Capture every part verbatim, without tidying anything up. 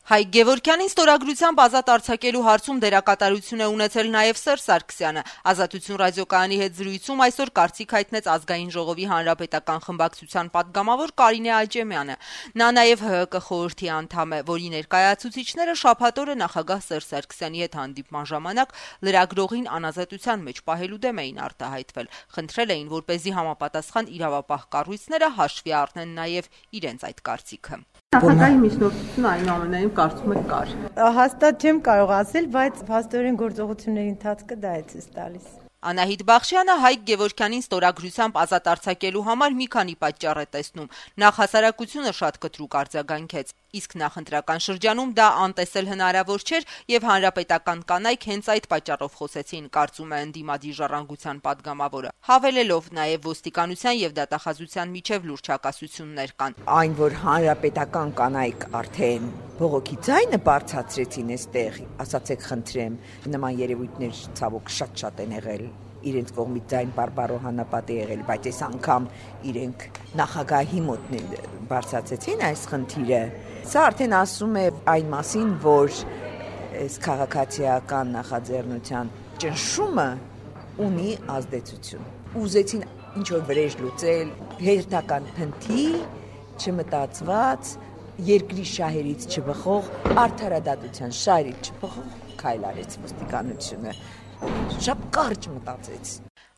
Հայկ Գևորգյանին ստորագրությամբ ազատ արձակելու հարցում դերակատարություն է ունեցել նաև Սերժ Սարգսյանը։ Ազատություն ռադիոկայանի հետ զրույցում այսօր կարծիք հայտնեց Ազգային ժողովի հանրապետական խմբակցության падգամավոր Կարինե Աճեմյանը։ Նա նաև ՀՀԿ խորհրդի անդամ է, որի ներկայացուցիչները շաբաթ օրը նախագահ Սերժ Սարգսյանի հետ հանդիպման ժամանակ լրագրողին անազատության մեջ պահելու դեմ էին արտահայտվել։ Խնդրել էին, որպեսզի համապատասխան իրավապահ կառույցները հաշվի առնեն նաև իրենց այդ կարծիքը։ Նախագահի միջնորդությունը այնուամենայնիվ կարծում եք կար։ Հաստատ չեմ կարող ասել, բայց փաստորեն գործողությունների ընթացքը դա է ցույց տալիս։ Անահիտ Բախշյանը Հայկ Գևորգյանին ստորագրությամբ ազատ արձակելու համար մի քանի պատճառ է տեսնում։ Նախ հասարակությունը շատ կտրուկ արձագանքեց, իսկ նախընտրական շրջանում դա անտեսել հնարավոր չէր եւ հանրապետական կանայք հենց այդ պատճառով խոսեցին, կարծում է ընդդիմադիր ժառանգության падգամավորը, հավելելով նաեւ ոստիկանության եւ դատախազության միջև լուրջ հակասություններ կան։ Այն, որ հանրապետական կանայք արդեն բողոքի ձայնը բարձրացրեցին այստեղ, ասացեք խնդրեմ, նման երևույթներ ցավոք շատ-շատ են եղել։ Իրենց կողմից ձայն բարբարոհանապատ է եղել, բայց այս անգամ իրենք նախագահի մոտ բարձրացրեցին այս խնդիրը։ Սա արդեն ասում է այն մասին, որ այս քաղաքացիական նախաձեռնության ճնշումը ունի ազդեցություն։ Ուզեցին ինչ որ վրեժ լուծել, հերթական փնթի, չմտածված, երկրի շահերից չբխող, արդարադատության շահերից չբխող քայլ արեց ոստիկանությունը։ Շատ կարճ մտածեց։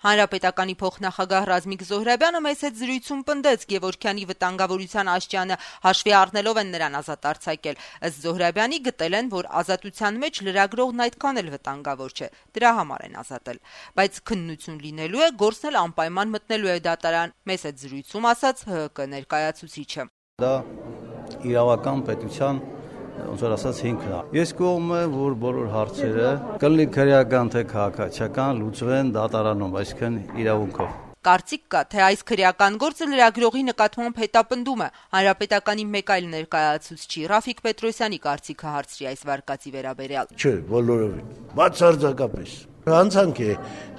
Հանրապետականի փոխնախագահ Ռազմիկ Զոհրաբյանը մեծ հետ զրույցում պնդեց Գևորգյանի վտանգավորության աշճանը հաշվի առնելով են նրան ազատ արձակել։ Ըստ Զոհրաբյանի գտել են, որ ազատության մեջ լրագրողն այդքան էլ վտանգավոր չէ, դրա համար են ազատել։ Բայց քննություն լինելու է, գործն էլ անպայման մտնելու է դատարան, մեծ հետ զրույցում ասաց ՀՀԿ ներկայացուցիչը։ Դա իրավական պետության ոնց որ ասած հիմքն է։ Ես կողմ եմ, որ բոլոր հարցերը կլինի քրեական թե քաղաքացիական լուծվեն դատարանում, այսինքն իրավունքով։ Կարծիք կա, թե այս քրեական գործը լրագրողի նկատմամբ հետապնդում է։ Հանրապետականի մեկ այլ ներկայացուցիչ Ռաֆիկ Պետրոսյանի կարծիքը հարցրի այս վարկածի վերաբերյալ։ Չէ, բոլորովին։ Բացարձակապես։ Հանցանք է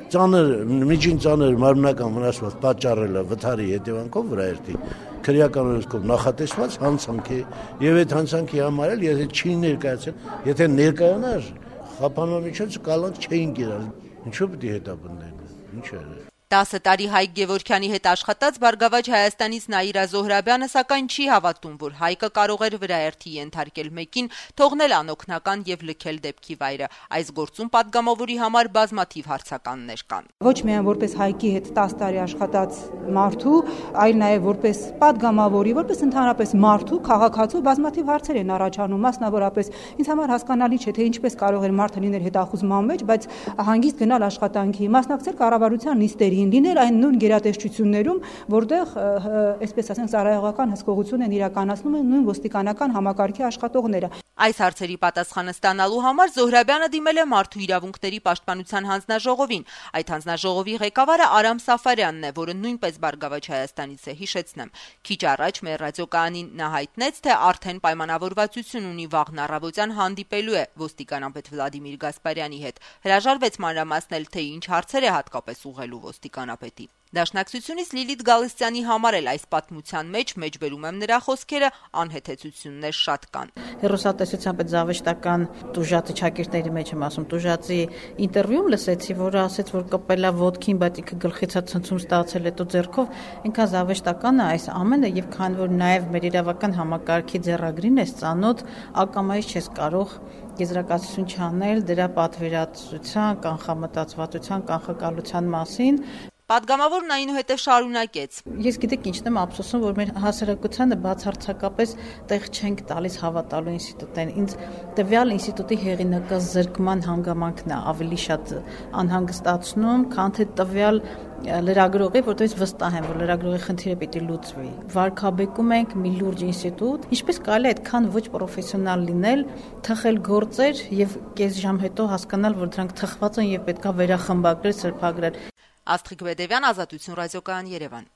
ծանր, միջին ծանր մարմնական վնասված պատճառելը վթարի հետևանքով վրա երթի։ Քրեական օրենքով նախատեսված հանցանք է եւ այդ հանցանքի համար էլ եթե չի ներկայացել, եթե ներկայանար, խափանման միջոցը կալանք չէին գերալ։ Ինչու՞ պիտի հետապնդեն։ Ինչ է։ տասը տարի Հայկ Գևորգյանի հետ աշխատած Բարգավաճ Հայաստանից Նաիրա Զոհրաբյանը սակայն չի հավատում, որ Հայկը կարող էր վրաերթի ենթարկել մեկին, թողնել անօգնական եւ լքել դեպքի վայրը։ Այս գործում падգամավորի համար բազմաթիվ հարցականներ կան։ Ոչ միայն որպես Հայկի հետ տասը տարի աշխատած մարդու, այլ նաեւ որպես падգամավորի, որպես ընդհանրապես մարդու, քաղաքացու բազմաթիվ հարցեր են առաջանում, մասնավորապես ինձ համար հասկանալի չէ, թե ինչպես կարող էր մարդը լինել հետախուզման մեջ, բայց հանգիստ գնալ աշխատանքի, մասնակցել կառավարության նիստերի լինել այն նույն գերատեսչություններում, որտեղ, այսպես ասենք, ծառայողական հսկողություն են իրականացնում են նույն ոստիկանական համակարգի աշխատողները։ Այս հարցերի պատասխանը ստանալու համար Զոհրաբյանը դիմել է Մարդու իրավունքների պաշտպանության հանձնաժողովին։ Այդ հանձնաժողովի ղեկավարը Արամ Սաֆարյանն է, որը նույնպես Բարգավաճ Հայաստանից է, հիշեցնեմ։ Քիչ առաջ մեր ռադիոկայանին նա հայտնեց, թե արդեն պայմանավորվածություն ունի վաղն առավոտյան հանդիպելու է ոստիկանապետ Վլադիմիր Գասպարյանի հետ։ Հրաժարվեց մանրամասնել, թե ինչ հարցեր է հատկապես ուղղելու ոստիկանապետի։ Դաշնակցությունից Լիլիթ Գալստյանի համար էլ այս պատմության մեջ մեջբերում եմ նրա խոսքերը անհեթեթություններ շատ կան։ Հեռուստատեսությամբ այդ զավեշտական տուժածի շակերտների մեջ եմ ասում, տուժածի ինտերվյուում լսեցի, որ ասեց, որ կպելա ոդքին, բայց ինքը գլխից ցնցում ստացել հետո ձեռքով, ինքան զավեշտական է այս ամենը եւ քան որ նաեւ մեր իրավական համակարգի ձեռագրին է ծանոթ, ակամայից չես կարող եզրակացություն չանել դրա պատվիրատվության, կանխամտածվածության, կանխակալության մասին։ Պատգամավորն այնուհետև շարունակեց. Ես գիտեք ինչն եմ ափսոսում, որ մեր հասարակությանը բացարձակապես տեղ չենք տալիս հավատալու ինստիտուտին։ Ինձ տվյալ ինստիտուտի հեղինակազրկման հանգամանքն է ավելի շատ անհանգստացնում, քան թե տվյալ լրագրողի, որտեղից վստահ եմ, որ լրագրողի խնդիրը պիտի լուծվի։ Վարկաբեկում ենք մի լուրջ ինստիտուտ, ինչպես կարելի է այդքան ոչ պրոֆեսիոնալ լինել, թխել գործեր եւ կես ժամ հետո հասկանալ, որ դրանք թխված են եւ պետքա վերախմբագրել, սրբագրել։ Աստղիկ Բեդևյան, Ազատություն ռադիոկայան, Երևան։